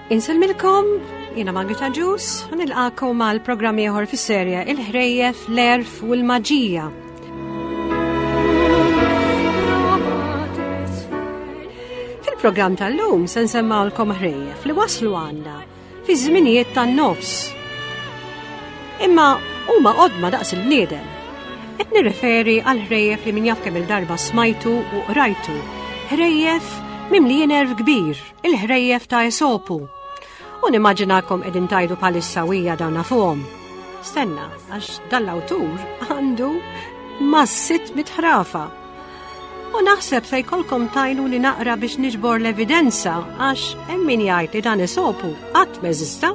Insellmilkom, jiena Margit Agius, u nilqakom għal programm ieħor fis-serje Il-ħrejjef, l-għerf u l-maġija. Fil-programm tal-lum se nsemmawlkom ħrejjef li waslu għandna fi żminijiet tan-nofs. Imma huma qodma daqs il-bniedem. Qed nirreferi għal ħrejjef li min jaf kemm il-darba smajtu u qrajtu. Ħrejjef mimlijin erf kbir, il-ħrejjef ta' Esopu. U nimmaġinakom qegħdin tajdu bħalissa wija dawn nafuhom. Stenna, għax dan l-awtur għandu ma' 600 ħrafa. U naħseb se jkollkom tajnu li naqra biex niġbor l-evidenza għax hemm min jgħid li dan Esopu qatt m'eżista.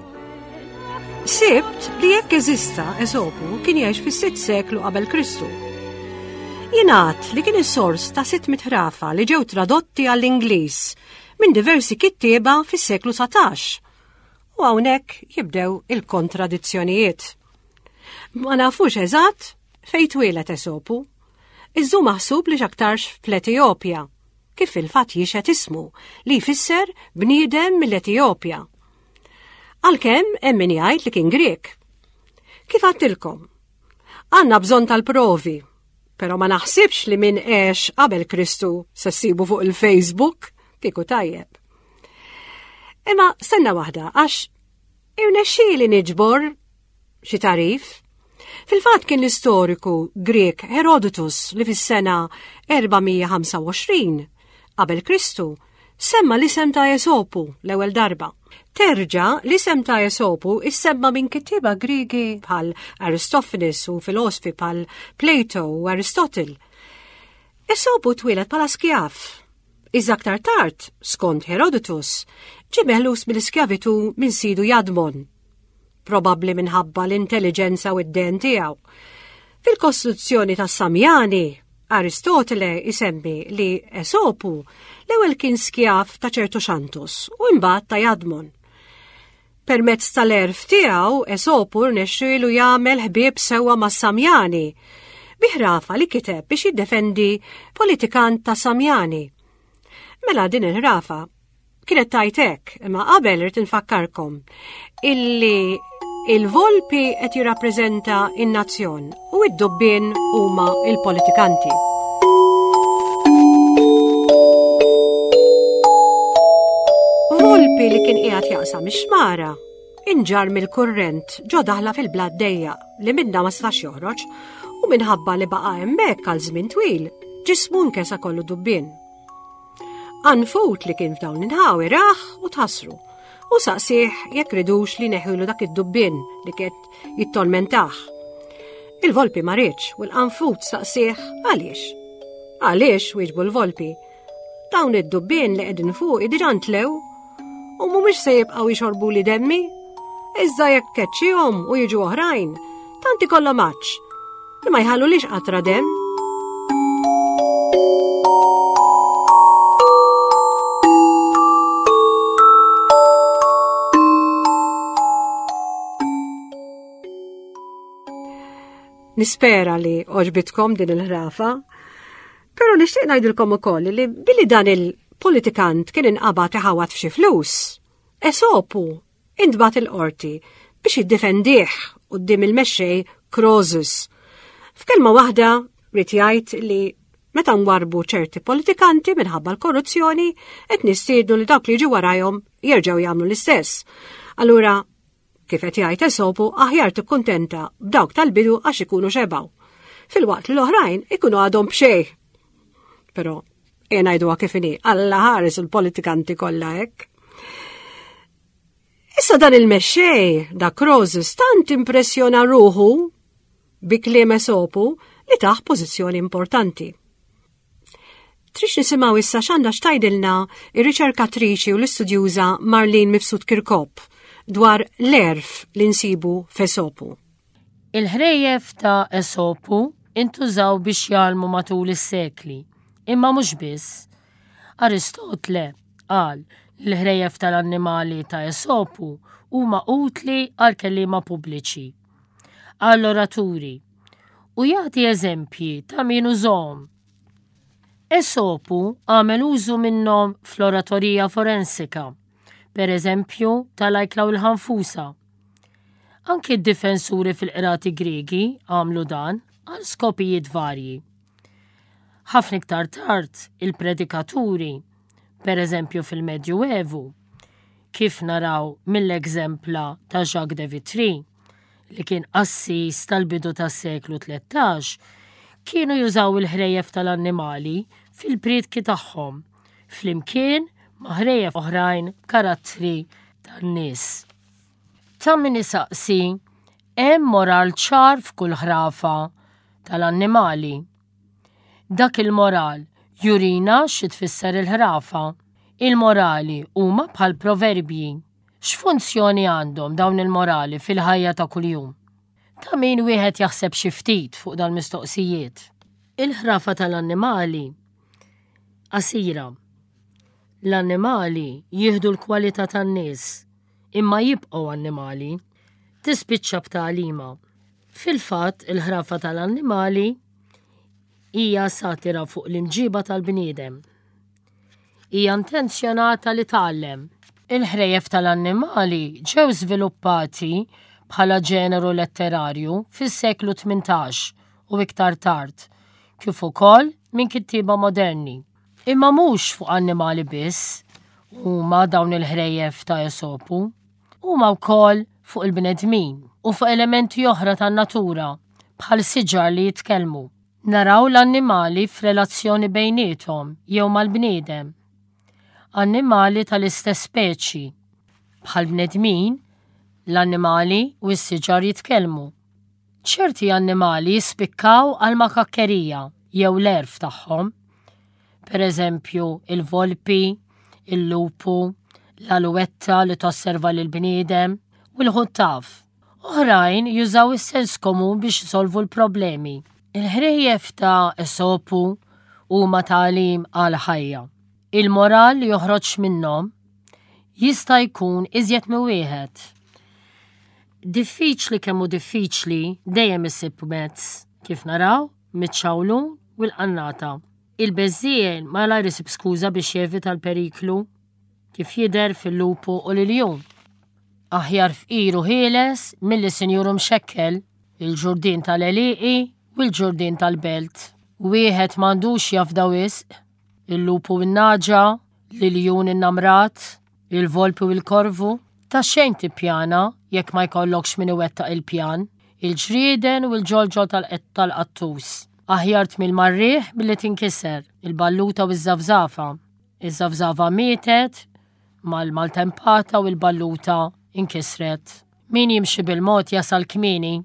Sibt li jekk eżista Esopu kien jgħix fis-sitt seklu qabel Kristu. Jingħad li kien is-sors ta' 600 ħrafa li ġew tradotti għall-Ingliż minn diversi kittieba fis-seklu 19. U hawnhekk jibdew il-kontradizzjonijiet. Ma nafux eżatt fejn twieled Esopu. Iżda hu maħsub li x'aktarx fl-Etijopja, kif fil-fatt jixhed ismu, li jfisser bniedem mill-Etijopja. Għalkemm hemm min jgħid li kien Grieg. Kif għadtilkom? Għandna bżonn tal-provi, però ma naħsibx li min għex qabel Kristu se ssibu fuq il-Facebook kieku tajjeb. Imma stenna waħda għax irnexxieli niġbor xi tagħrif. Fil-fatt kien l-istoriku Grieg Herodotus li fis-sena 425 qabel Kristu semma l-isem ta' Esopu l-ewwel darba. Terġa' l-isem ta' Esopu issemma minn kittieba Griegi bħal Aristophanes u filosfi bħal Plato u Aristotle. Esopu twieled bħala skjav. Iżda aktar tard, skont Herodotus, ġie meħlus mill-iskjavitu minn sidu Jadmon. probabbli minħabba l-intelliġenza u d-den tiegħu. Fil-Kostituzzjoni tas-Samjani, Aristotele isemmi li Esopu l-ewwel kien skjav ta' ċertu Xantus u imbagħad ta' Jadmon. Permezz tal-erf tiegħu Esopu rnexxielu jagħmel ħbieb sewwa mas-Samjani bi ħrafa li kiteb biex jiddefendi politikant ta' Samjani. Mela din il-ħrafa Kienet tajt hekk, imma qabel irid infakkarkom illi il-volpi qed jirrappreżenta in-nazzjon u id-dubbien huma il-politikanti. Volpi li kien qiegħed jaqsam ix-xmara inġar mill-kurrent ġo daħla fil-blat dejja li minna ma setax joħroġ u minħabba li baqa' hemmhekk għal żmien twil, ġismu nkesa kollu dubbien. Anfut li kien f'dawn l-inħawi raħ u tħassru u saqsih jekk ridux li neħilu dak id-dubbien li kiet jittormentah. Il-volpi ma riedx u l-qanfut saqsih għaliex. Għaliex wieġbu l-volpi. Dawn id-dubbien li qegħdin fuq diġà ntlew u mhumiex se jibqgħu jixorbu li demmi. Iżda jekk keċċihom u jiġu oħrajn, tant ikollhom għatx li ma jħallulix qatra demm. Nispera li oġbitkom din il-ħrafa, pero nixtieq ngħidilkom ukoll li billi dan il-politikant kien inqabad iħawat f'xi flus, Esopu intbagħat il-qorti biex jiddefendih quddiem il-mexxej Croesus. F'kelma waħda ried jgħid li meta nwarbu ċerti politikanti minħabba l-korruzzjoni qed nistiednu li dawk li jiġu warajhom jerġgħu jagħmlu l-istess. Allura, kif qed jgħid Esopu, aħjar tikkuntenta b'dawk tal-bidu għax ikunu xebgħu. Filwaqt li l-oħrajn ikunu għadhom b'xejn. Però E ngħiduha kif inhi, Alla ħares il-politikanti kollha hekk. Issa dan il-mexxej da Krozus tant impressjona ruħu bi kliem Esopu li taħ pożizzjoni importanti. Trix nisimgħu issa x'għandha x'tajdilna ir-riċerkatriċi u l-istudjuża Marlene Mifsud Kirkop dwar l-erf li nsibu f'Esopu. Il-ħrejjef ta' Esopu intużaw biex jgħallmu matul is-sekli, imma mhux biss. Aristotle qal li l-ħrejjef tal-annimali ta' Esopu huma utli għall-kelliema pubbliċi, għall-oraturi, u jagħti eżempji ta' min użahom. Esopu għamel użu minnhom fl-oratorija forensika. Per eżempju, tal-ajkla u l-ħanfusa. Anki d-difensuri fil-qrati Griegi għamlu dan għal skopijiet varji. Ħafna iktar tard, il-predikaturi, per eżempju fil-Medju Evu, kif naraw mill-eżempla ta' Jacques de Vitry, li kien qassis tal-bidu tas-seklu 13, kienu jużaw il-ħrejjef tal-annimali fil-prietki tagħhom, flimkien ma' ħrejjef oħrajn b'karattri tan-nies. Ta' min isaqsi, hemm moral ċar f'kull ħrafa tal-annimali? Dak il-moral jurina xi tfisser il-ħrafa. Il-morali huma bħal proverbji. X'funzjoni għandhom dawn il-morali fil-ħajja ta' kuljum? Ta' min wieħed jaħseb xi ftit fuq dal-mistoqsijiet. Il-ħrafa tal-annimali qasira. L-annimali jieħdu l-kwalità tan-nies, imma jibqgħu annimali. Tispiċċa b'tagħlima. Fil-fatt, il-ħrafa tal-annimali hija satira fuq l-imġiba tal-bniedem. Hija intenzjonata li tgħallem. Il-ħrejjef tal-annimali ġew żviluppati bħala ġeneru letterarju fis-seklu 18 u iktar tard, kif ukoll minn kittieba moderni. Imma mhux fuq annimali biss huma dawn il-ħrejjef ta' Esopu. Huma wkoll fuq il-bnedmin u fuq elementi oħra tan-natura bħal siġar li jitkellmu. Naraw l-annimali f'relazzjoni bejniethom jew mal-bniedem. Annimali tal-istess speċi. Bħall-bnedmin, l-annimali u s-siġar jitkellmu. Ċerti annimali jispikkaw għall-makakkerija jew l-għerf tagħhom. Per eżempju, il-volpi, il-lupu, l-aluwetta li tosserva lill-bniedem u l-ħuttaf. Oħrajn jużaw is-sens komun biex isolvu l-problemi. Il-ħrejjef ta' Esopu huma tagħlim għall-ħajja. Il-moral li joħroġ minnhom jista' jkun iżjed minn wieħed. Diffiċli kemm hu diffiċli dejjem issib mezz, kif naraw miċ-ċawlun u l-qannata. Il-beżżiegħel malajr isib skuża biex jevita l-periklu, kif jidher fil-lupu u l-iljun. Aħjar fqir u ħieles milli sinjur u mxekkel, il-ġurdien tal-għelieqi u l-ġurdien tal-belt. Wieħed m'għandux jafda wisq, il-lupu u n-nagħġa, l-iljun innamrat, il-volpi u l-korvu. Ta' xejn tippjana jekk ma jkollokx min iwettaq il-pjan, il-ġrieden u l-ġolġol tal-qattus. Aħjar tmil mar-riħ milli tinkiser, il-balluta u ż-żafżafa. Iż-żafżafa mietet mal-maltempata u l-balluta inkisret. Min jimxi bil-mod jasal kmieni,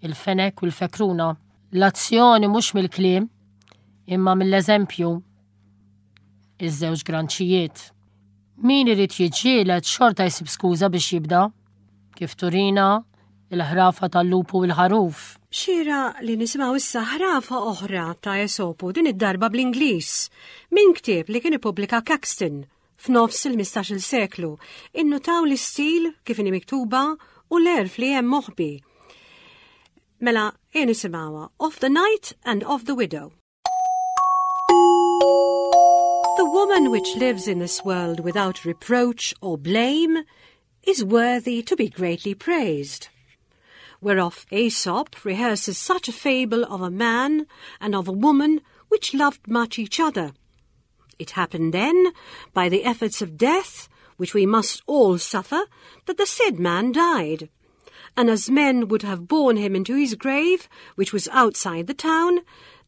il-fenek u l-fekruna. L-azzjoni mhux mill-kliem, imma mill-eżempju. Iż-żewġ granċijiet. Min irid jiġġieled xorta jsib skuża biex jibda, kif turina il-ħrafa tal-lupu u l-ħaruf. Xieraq li nisimgħu issa ħrafa oħra ta' Esopu, din id-darba bl-Ingliż, minn ktieb li kien ippubblika Caxton f'nofs il-15-il seklu. Innutaw l-istil kif inhi miktuba u l-għerf li hemm moħbi. Mela, ejja nisimgħuha Of the Knight and of the Widow. The woman which lives in this world without reproach or blame is worthy to be greatly praised. Whereof Aesop rehearses such a fable of a man and of a woman which loved much each other. It happened then, by the efforts of death, which we must all suffer, that the said man died. And as men would have borne him into his grave, which was outside the town,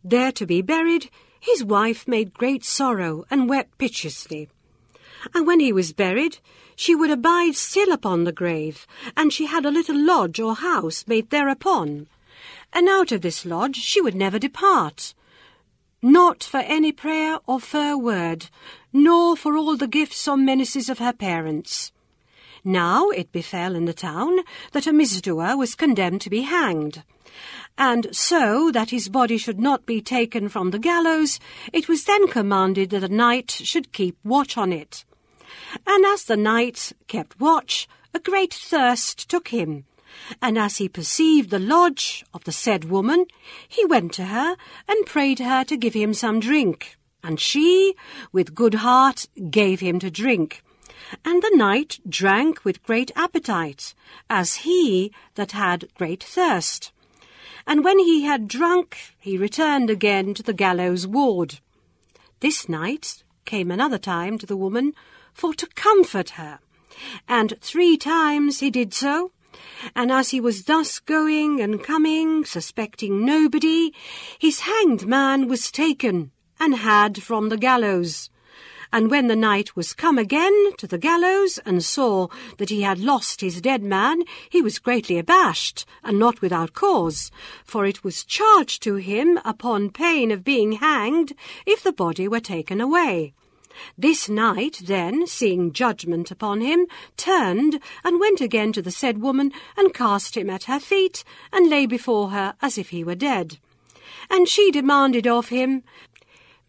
there to be buried, his wife made great sorrow and wept piteously. And when he was buried, she would abide still upon the grave, and she had a little lodge or house made thereupon. And out of this lodge she would never depart, not for any prayer or fair word, nor for all the gifts or menaces of her parents. Now it befell in the town that a misdoer was condemned to be hanged. And so that his body should not be taken from the gallows, it was then commanded that a knight should keep watch on it. And as the knight kept watch, a great thirst took him. And as he perceived the lodge of the said woman, he went to her and prayed her to give him some drink. And she, with good heart, gave him to drink. And the knight drank with great appetite, as he that had great thirst. And when he had drunk, he returned again to the gallows ward. This knight came another time to the woman for to comfort her. And 3 times he did so, and as he was thus going and coming, suspecting nobody, his hanged man was taken and had from the gallows. And when the knight was come again to the gallows and saw that he had lost his dead man, he was greatly abashed, and not without cause, for it was charged to him upon pain of being hanged if the body were taken away. This knight then, seeing judgment upon him, turned and went again to the said woman, and cast him at her feet, and lay before her as if he were dead. And she demanded of him,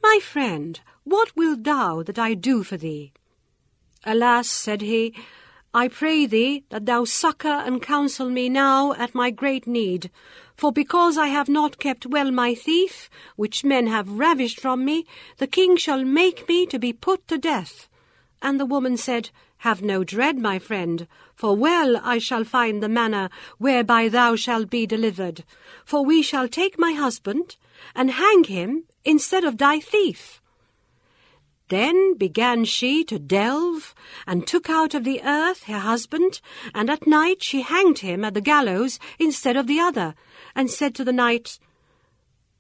My friend, what wilt thou that I do for thee? Alas, said he, I pray thee that thou succour and counsel me now at my great need, for because I have not kept well my thief, which men have ravished from me, the king shall make me to be put to death. And the woman said, Have no dread, my friend, for well I shall find the manner whereby thou shalt be delivered. For we shall take my husband, and hang him instead of thy thief. Then began she to delve, and took out of the earth her husband, and at night she hanged him at the gallows instead of the other, and said to the knight,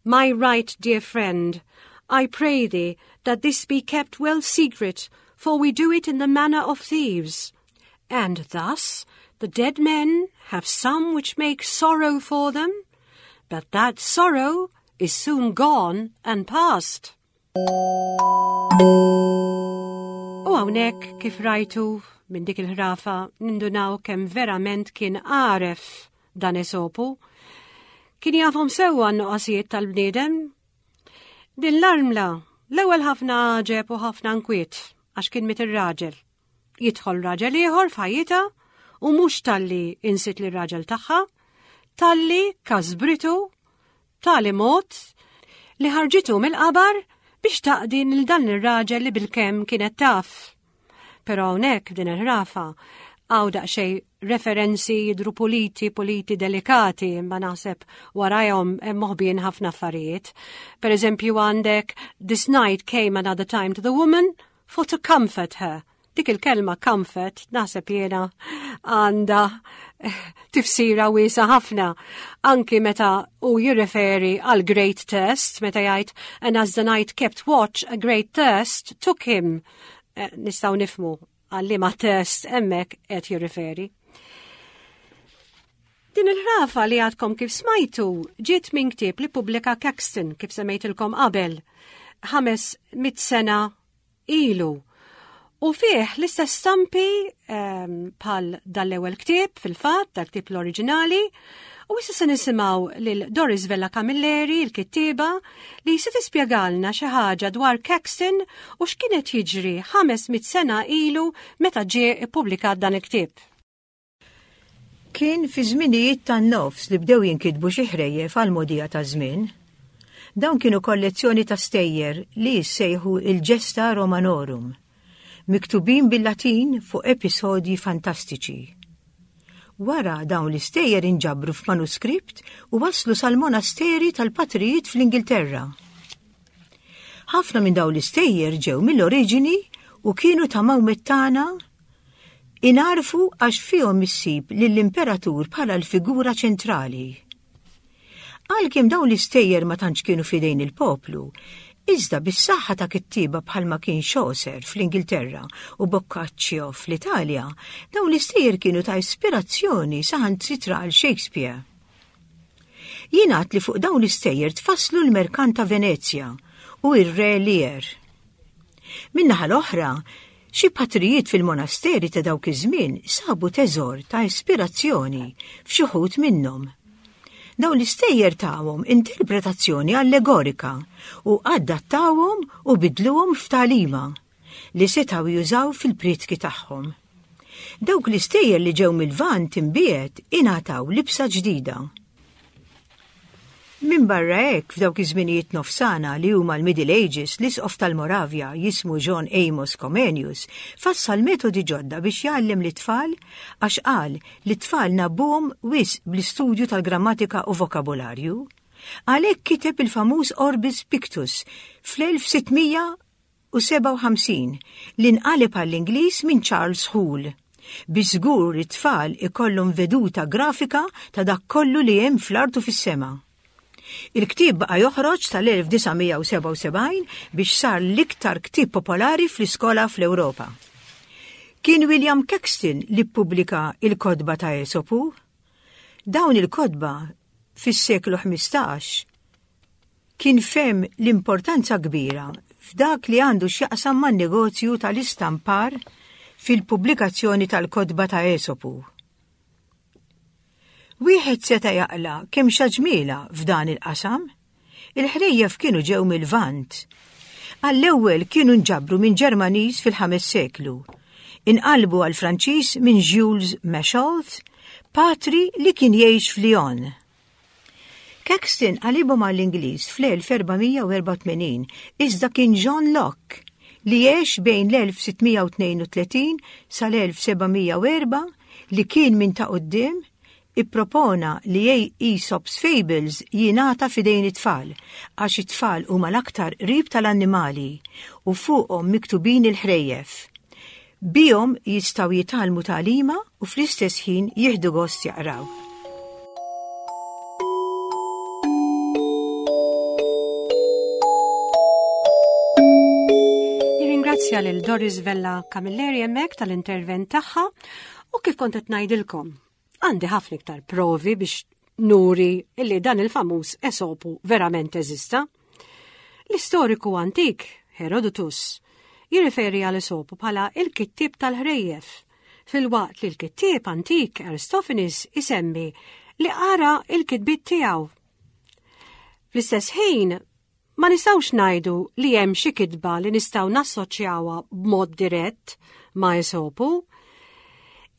My right dear friend, I pray thee that this be kept well secret, for we do it in the manner of thieves. And thus the dead men have some which make sorrow for them, but that sorrow is soon gone and past. U hawnhekk kif rajtu minn dik il-ħrafa nindunaw kemm verament kien għaref dan Esopu. Kien jafhom sewwa n-nuqqasijiet tal-bniedem. Din l-armla l-ewwel ħafna għaġeb u ħafna nkwiet għax kien miet ir-raġel. Jidħol raġel ieħor f'ħajjitha u mhux talli insit lir-raġel tagħha, talli kasbritu b'tali mod li ħarġitu mill-qabar biex taqdi lil dan ir-raġel li bilkemm kienet taf. Però hawnhekk din il-ħrafa hawn daqsxejn referenzi jidhru puliti, puliti delikati, imma naħseb warajhom hemm moħbijin ħafna affarijiet. Per eżempju għandek This night came another time to the woman for to comfort her. Dik il-kelma comfort naħseb jiena għandha eh, tifsira wiesa ħafna. Anki meta u jirreferi għal great thirst, meta jgħid and as the night kept watch a great thirst took him. Eh, nistgħu nifmu għal liema thirst hemmhekk qed jirriferi. Din il-ħrafa li għadkom kif smajtu ġiet minn ktieb li pubblika Caxton kif semmejtilkom qabel 500 sena ilu. U fih l-istess stampi ehm, bħal dal-ewwel ktieb fil-fatt, dal-ktieb l-oriġinali, u issa se nisimgħu lil Doris Vella Camilleri, il-kittieba, li se tispjegalna xi ħaġa dwar Caxton u x'kienet jiġri 500 sena ilu meta ġie ippubblikat dan il-ktieb. Kien fi żminijiet tan-nofs li bdew jinkitbu xi ħrejjef għall-mogħdija taż-żmien. Dawn kienu kollezzjoni ta' stejjer li jissejħu il-Gesta Romanorum, miktubin bil-Latin fuq episodji fantastiċi. Wara dawn l-istejjer inġabru f'manuskript u waslu sal-monasteri tal-patrijiet fl-Ingilterra. Ħafna minn dawn l-istejjer ġew mill-oriġini u kienu ta' Mawmettana Ingħarfu għax fihom issib lill-imperatur bħala l-figura ċentrali. Għalkemm dawn l-istejjer ma tantx kienu f'idejn il-poplu, iżda bis-saħħa ta' kittieba bħalma kien Chaucer fl-Ingilterra u Boccaccio fl-Italja, dawn l-istejjer kienu ta' ispirazzjoni saħansitra għal Shakespeare. Jingħad li fuq dawn l-istejjer tfasslu l-Merkant ta' Venezja u r-Re Lear. Min-naħa l-oħra, xi patrijiet fil-monasteri ta' dawk iż-żmien sabu teżor ta' ispirazzjoni f'xi wħud minnhom. Dawn l-istejjer tawhom interpretazzjoni allegorika u adattawhom u bidluhom f'tagħlima li setgħu jużaw fil-prietki tagħhom. Dawk l-istejjer li ġew mil-Lvant imbiegħed ingħataw libsa ġdida. Minbarra hekk, f'dawk iż-żminijiet nofsana li huma l-Middle Ages, l-Isqof tal-Moravja jismu John Amos Comenius fassal metodi ġodda biex jgħallem lit-tfal għax qal li t-tfal ngħabbuhom wisq bl-istudju tal-grammatika u vokabularju. Għalhekk kiteb il-famuż Orbis Pictus fl-1600 1957 li nqaleb għall-Ingliż minn Charles Hoole, biex żgur li t-tfal ikollhom veduta grafika ta' dak kollu li hemm fl-art u fis-sema. Il-ktieb baqa' joħroġ sal-1977 biex sar l-iktar ktieb popolari fl-iskola fl-Ewropa. Kien William Caxton li ppubblika il-kotba ta' Esopu. Dawn il-kotba fis-seklu 15 Kien fehem l-importanza kbira f'dak li għandu x'jaqsam man-negozju tal-istampar fil-pubblikazzjoni tal-kotba ta' Esopu. Wieħed seta' jaqla' kemm xa ġmielha f'dan il-qasam. Il-ħrejjef kienu ġew mil-Lvant. Għall-ewwel kienu nġabru minn Ġermaniż fil-ħames seklu. Inqalbu għall-Franċiż minn Jules Machault, patri li kien jgħix f'Lyon. Caxton qalibhom għall-Ingliż fl-1484, iżda kien John Locke, li għex bejn l-1632 sal-1704 li kien minn ta' quddiem, ippropona li Aesop's Fables jingħata f'idejn it-tfal, għax it-tfal huma l-aktar qrib tal-annimali u fuqhom miktubin il-ħrejjef. Bihom jistgħu jitgħallmu tagħlima u fl-istess ħin jieħdu gost jaqraw. Nirringrazzja lil Doris Vella Camilleri hemmhekk tal-intervent tagħha u kif kont qed ngħidilkom. Għandi ħafna iktar provi biex nuri illi dan il-famuż Esopu verament eżista. L-istoriku antik, Herodotus, jirriferi għal Esopu bħala il-kittieb tal-ħrejjef, filwaqt li l-kittieb antik Aristophanes isemmi li qara il-kitbiet tiegħu. Fl-istess ħin, Ma nistgħux ngħidu li hemm xi kitba li nistgħu nassoċjawha b'mod dirett ma' Esopu.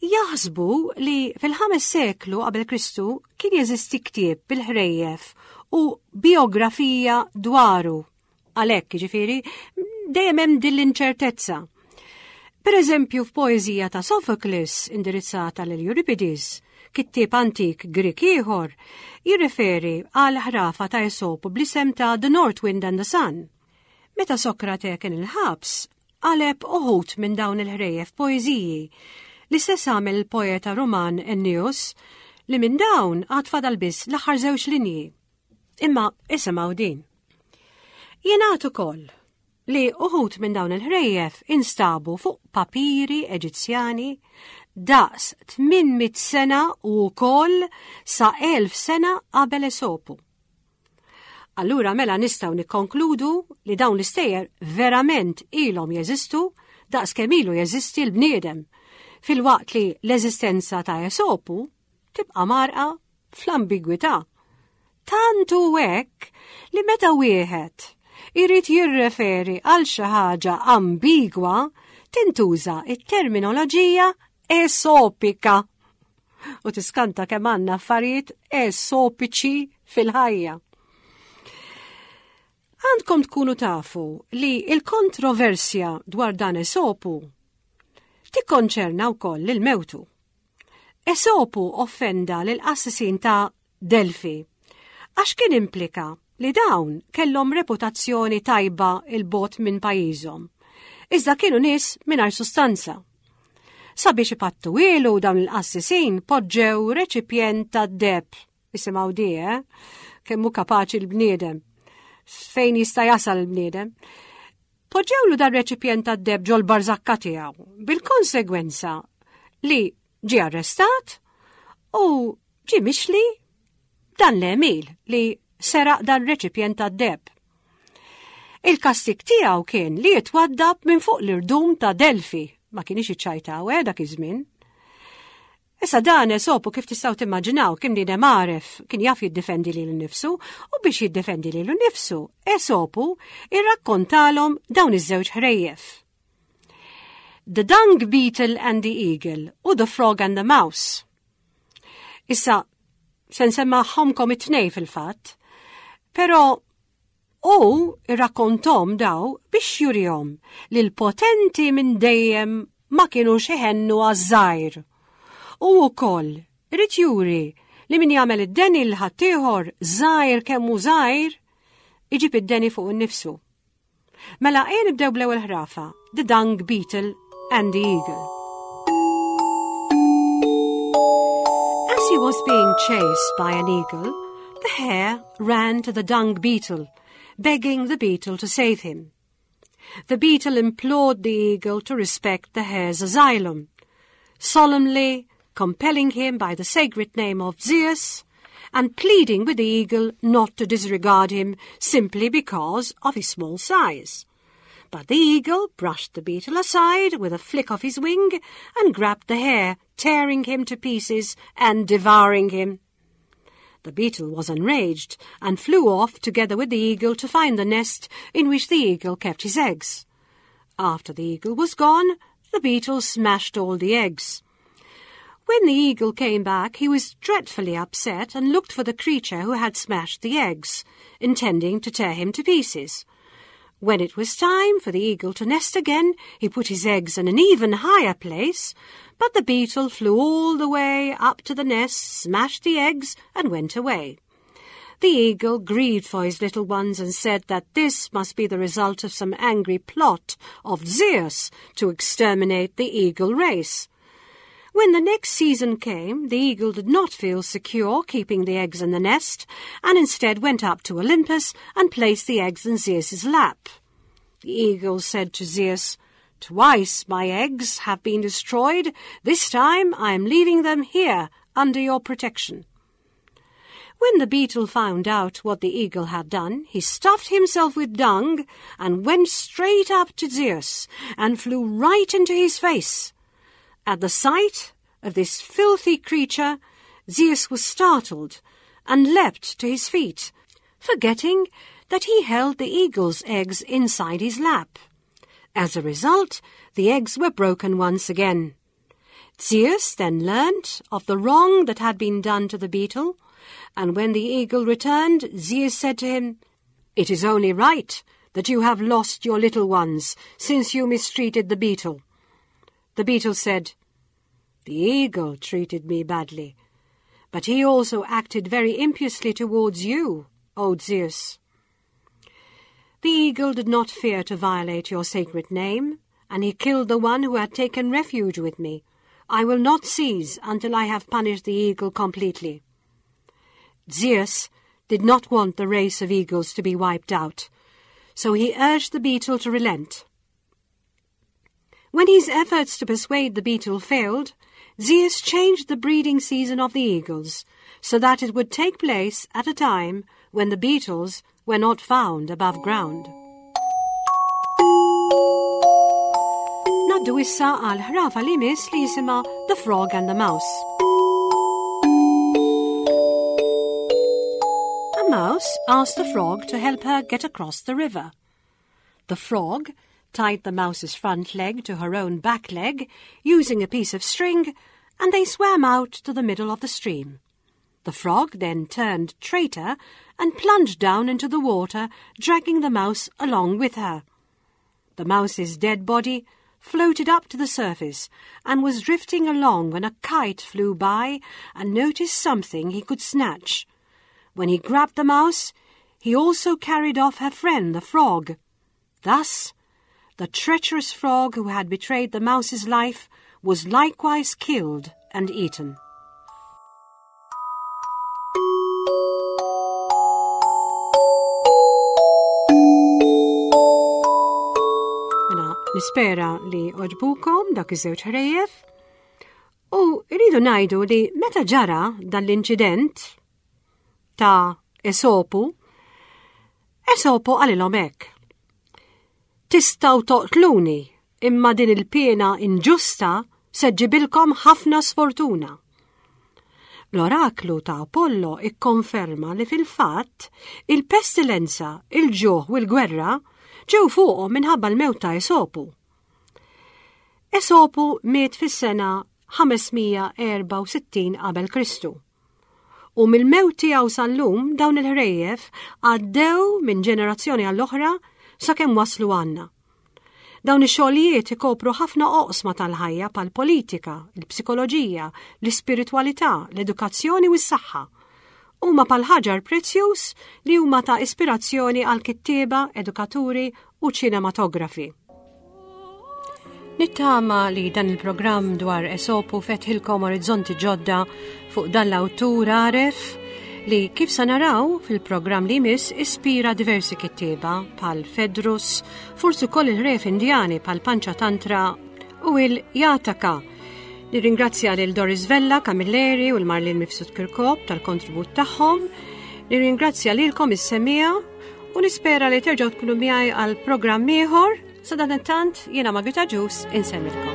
Jaħsbu li fil-ħames seklu qabel Kristu kien jeżisti ktieb bil-ħrejjef u bijografija dwaru. Għalhekk, jiġifieri, dejjem hemm din l-inċertezza. Per eżempju, f'poeżija ta' Sophocles indirizzata lil Euripides, kittieb antik Grieg ieħor, jirriferi għal ħrafa ta' Esopu bl-isem ta' The North Wind and the Sun. Meta Sokrate kien il-ħabs, qaleb uħud minn dawn il-ħrejjef poeżiji. L-istess għamel il-poeta Ruman Ennius li minn dawn għad fadal biss l-aħħar żewġ linji. Imma isimgħu din. Jingħad ukoll li uħud minn dawn il-ħrejjef instabu fuq papiri Eġizzjani daqs 800 sena u wkoll sa 1000 sena qabel Esopu. Allura mela nistgħu nikkonkludu li dawn l-istejjer verament ilhom jeżistu daqs kemm ilu jeżisti l-bniedem, filwaqt li l-eżistenza ta' Esopu tibqa' mgħarrqa fl-ambigwità. Tant hu hekk li meta wieħed irid jirreferi għal xi ħaġa ambigwa tintuża t-terminoloġija esopika. U tiskanta kemm għandna affarijiet esopiċi fil-ħajja. Għandkom tkunu tafu li il-kontroversja dwar dan Esopu tikkonċerna wkoll lil mewtu. Esopu offenda lill-qassisin ta' Delfi għax kien implika li dawn kellhom reputazzjoni tajba 'l bogħod minn pajjiżhom, iżda kienu nies mingħajr sustanza. Sabiex ipattuhielu dawn il-qassisin poġġew reċipjent tad-deheb, isimgħu di, eh? Kemm hu kapaċi l-bniedem. Fejn jista' jasal il-bniedem. Poġġewlu dan reċipjent tad-deheb ġol-barżakka tiegħu, bil-konsegwenza li ġie arrestat u ġie mixli dan l-għemil li seraq dan reċipjent tad-deheb. Il-kastig tiegħu kien li jitwaddab minn fuq l-irdum ta' Delfi, ma kienx iċċajtaw eh dak iż-żmien. Issa dan Esopu kif tistgħu timmaġinaw kien bniedem għaref, kien jaf jiddefendi lilu nnifsu u biex jiddefendi lilu nnifsu, Esopu irrakkontalhom dawn iż-żewġ ħrejjef. The Dung Beetle and the Eagle u The Frog and the Mouse. Issa, se nsemmagħhomkom it-tnej fil-fatt. Però hu irrakkonthom daw biex jurihom li l-potenti minn dejjem ma kinux iħennu għaż-żgħir. U wkoll irid juri li min jagħmel id-deni l ħaddieħor żgħir kemm hu żgħir iġib id-deni fuq innifsu. Mela ejja nibdew bl-ewwel ħrafa, The Dung Beetle and the Eagle. As he was being chased by an eagle, the hare ran to the dung beetle, begging the beetle to save him. The beetle implored the eagle to respect the hare's asylum, solemnly compelling him by the sacred name of Zeus and pleading with the eagle not to disregard him simply because of his small size. But the eagle brushed the beetle aside with a flick of his wing and grabbed the hare, tearing him to pieces and devouring him. The beetle was enraged and flew off together with the eagle to find the nest in which the eagle kept his eggs. After the eagle was gone, the beetle smashed all the eggs. When the eagle came back, he was dreadfully upset and looked for the creature who had smashed the eggs, intending to tear him to pieces. When it was time for the eagle to nest again, he put his eggs in an even higher place, but the beetle flew all the way up to the nest, smashed the eggs, and went away. The eagle grieved for his little ones and said that this must be the result of some angry plot of Zeus to exterminate the eagle race. When the next season came, the eagle did not feel secure keeping the eggs in the nest, and instead went up to Olympus and placed the eggs in Zeus's lap. The eagle said to Zeus, Twice my eggs have been destroyed. This time I am leaving them here under your protection. When the beetle found out what the eagle had done, he stuffed himself with dung and went straight up to Zeus and flew right into his face. At the sight of this filthy creature, Zeus was startled and leapt to his feet, forgetting that he held the eagle's eggs inside his lap. As a result, the eggs were broken once again. Zeus then learnt of the wrong that had been done to the beetle, and when the eagle returned, Zeus said to him, It is only right that you have lost your little ones, since you mistreated the beetle. The beetle said, The eagle treated me badly, but he also acted very impiously towards you, O Zeus. The eagle did not fear to violate your sacred name, and he killed the one who had taken refuge with me. I will not cease until I have punished the eagle completely. Zeus did not want the race of eagles to be wiped out, so he urged the beetle to relent. When his efforts to persuade the beetle failed, Zeus changed the breeding season of the eagles so that it would take place at a time when the beetles were not found above ground. Naddu issa għal ħrafa li miss li jisimha The Frog and the Mouse. A mouse asked the frog to help her get across the river. The frog tied the mouse's front leg to her own back leg using a piece of string, and they swam out to the middle of the stream. The frog then turned traitor and plunged down into the water, dragging the mouse along with her. The mouse's dead body floated up to the surface and was drifting along when a kite flew by and noticed something he could snatch. When he grabbed the mouse, he also carried off her friend, the frog. Thus, the treacherous frog who had betrayed the mouse's life was likewise killed and eaten. Mela, nispera li oġbukom dak iż-żewġ ħrejjef. U rridu ngħidu li meta ġara dan l-inċident ta' Esopu, Esopu qalilhom hekk. Tistgħu toqtluni, imma din il-piena inġusta se ġġibilkom ħafna sfortuna. L-oraklu ta' Apollo ikkonferma li fil-fatt il-pestilenza, il-ġuħ u l-gwerra ġew fuqhom minħabba l-mewt ta' Esopu. Esopu miet fis-sena 564 qabel Kristu. U mill-mewt tiegħu sal-lum dawn il-ħrejjef għaddew minn ġenerazzjoni għall-oħra sakemm waslu għandna. Dawn ix-xogħlijiet ikopru ħafna oqsma tal-ħajja bħal politika, il-psikoloġija, l-ispiritwalità, l-edukazzjoni u s-saħħa. Huma bħal ħaġar prezzjuż li huma ta' ispirazzjoni għal kittieba, edukaturi u ċinematografi. Nittama li dan il-programm dwar Esopu fetħilkom orizzonti ġodda fuq dan l-awtur għaref li kif sa naraw fil-programm li jmiss ispira diversi kittieba pal Fedrus, forsi wkoll il-ref Indjani pal Panċa Tantra u il-Jataka. Nirringrazzja lil Doris Vella, Camilleri u l-Marlin Mifsud Kirkop tal-kontribut tagħhom. Nirringrazzja lilkom is-semija u nispera li terġgħu tkunu miegħi għal programm ieħor. Sadanittant jiena Margrita Ġus insemmilkom.